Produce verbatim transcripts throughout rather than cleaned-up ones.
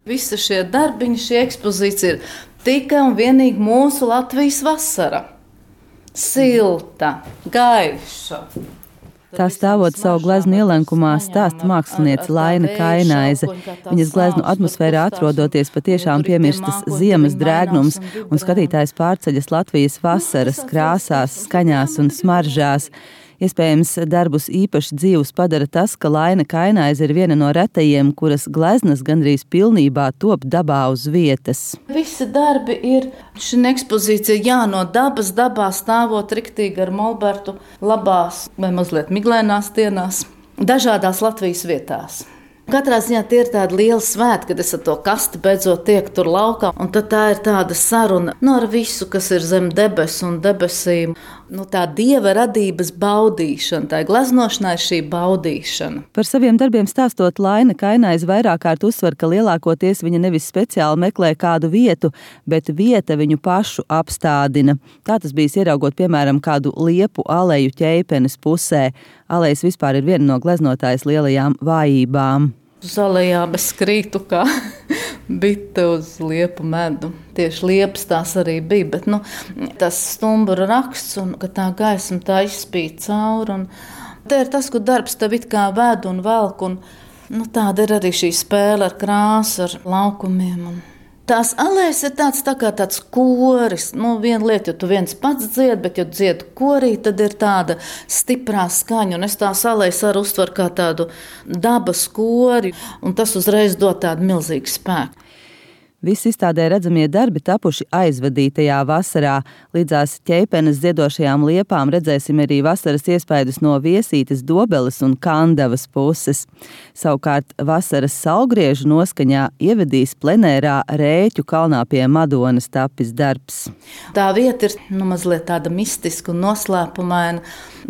Visi šie darbiņi, šī ekspozīcija ir tikai un vienīgi mūsu Latvijas vasara. Silta, gaiša. Tā stāvot savu gleznu ielenkumā stāsta māksliniece Laina Kainaize. Viņas gleznu atmosfērā atrodoties patiešām piemirstas ziemas drēgnums, un skatītājs pārceļas Latvijas vasaras krāsās, skaņās un smaržās. Iespējams, darbus īpaši dzīvus padara tas, ka Laina Kainaize ir viena no retajiem, kuras gleznas gandrīz pilnībā top dabā uz vietas. Visi darbi ir šī ekspozīcija, jā, no dabas, dabā stāvot riktīgi ar molbertu, labās vai mazliet miglēnās dienās, dažādās Latvijas vietās. Katrā ziņā tie ir tādi lieli svētki, kad es ar to kasti beidzot tiek tur laukā, un tad tā ir tāda saruna nu, ar visu, kas ir zem debesu un debesīm. Nu, tā dieva radības baudīšana, tā gleznošanā ir šī baudīšana. Par saviem darbiem stāstot, Laina Kainaize vairāk kārt uzsver, ka lielākoties viņa nevis speciāli meklē kādu vietu, bet vieta viņu pašu apstādina. Tā tas bijis ieraugot, piemēram, kādu liepu aleju Ķeipenes pusē. Alejas vispār ir viena no gleznotājas lielajām vājībām. Uz alejām es krītu kā bite uz liepu medu. Tieši liepas tās arī bija, bet nu, tas stumbra raksts un ka tā gaisma tā izspīd cauri. Un te ir tas, kur darbs tev it kā ved un velk. Un, nu, tāda ir arī šī spēle ar krāsu, ar laukumiem. Un tās alejas ir tāds, tā kā tāds koris. Nu, viena lieta, jo tu viens pats dzied, bet, ja dzied korī, tad ir tāda stiprā skaņa. Un es tās alejas arī uztveru kā tādu dabas kori, un tas uzreiz dod tādu milzīgu spēku. Visi izstādē redzamie darbi tapuši aizvadītajā vasarā. Līdzās Ķeipenes ziedošajām liepām redzēsim arī vasaras iespaidus no Viesītes, Dobeles un Kandavas puses. Savukārt vasaras saulgriežu noskaņā ievedīs plenērā Rēķu kalnā pie Madonas tapis darbs. Tā vieta ir nu, mazliet tāda mistiska un noslēpumaina,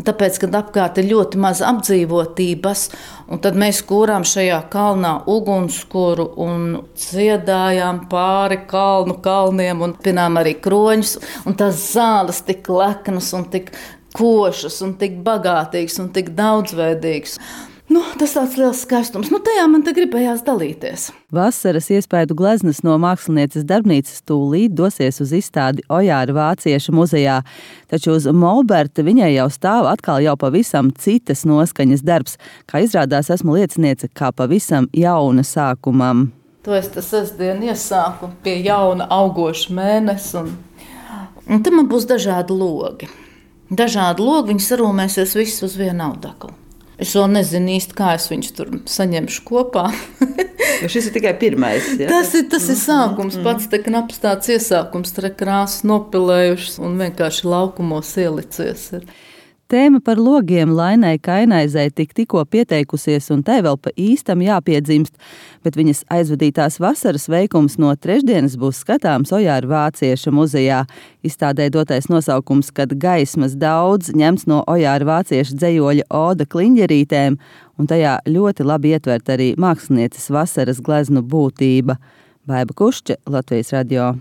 tāpēc, kad apkārt ir ļoti maz apdzīvotības, un tad mēs kūrām šajā kalnā ugunskura un dziedājām pāri kalnu kalniem un pinām arī kroņus, un tās zāles tik leknas un tik košas un tik bagātīgas un tik daudzveidīgas. Nu, tas tāds liels skaistums. Nu, tajā man te gribējās dalīties. Vasaras iespaidu gleznas no mākslinieces darbnīcas tūlīt dosies uz izstādi Ojāra Vācieša muzejā, taču uz molberta viņai jau stāv atkal jau pavisam citas noskaņas darbs. Kā izrādās, esmu lieciniece kā pavisam jauna sākumam. To es tas sestdien iesāku pie jauna augoša mēnesa, un, un te man būs dažādi logi. Dažādi logi, viņi sarūmēsies visus uz vienu audeklu. Es vēl nezinu īsti, kā es viņus tur saņemšu kopā. Jo šis ir tikai pirmais. Ja? Tas ir, tas ir sākums, pats te knaps tāds iesākums, tre krāsas nopilējušas un vienkārši laukumos ielicies ir. Tēma par logiem Lainai Kainaizei tik tikko pieteikusies, un tai vēl pa īstam jāpiedzimst, bet viņas aizvadītās vasaras veikums no trešdienas būs skatāms Ojāra Vācieša muzejā. Izstādē dotais nosaukums, kad gaismas daudz, ņemts no Ojāra Vācieša dzejoļa Oda kliņģerītēm, un tajā ļoti labi ietvert arī mākslinieces vasaras gleznu būtība. Baiba Kušča, Latvijas radio.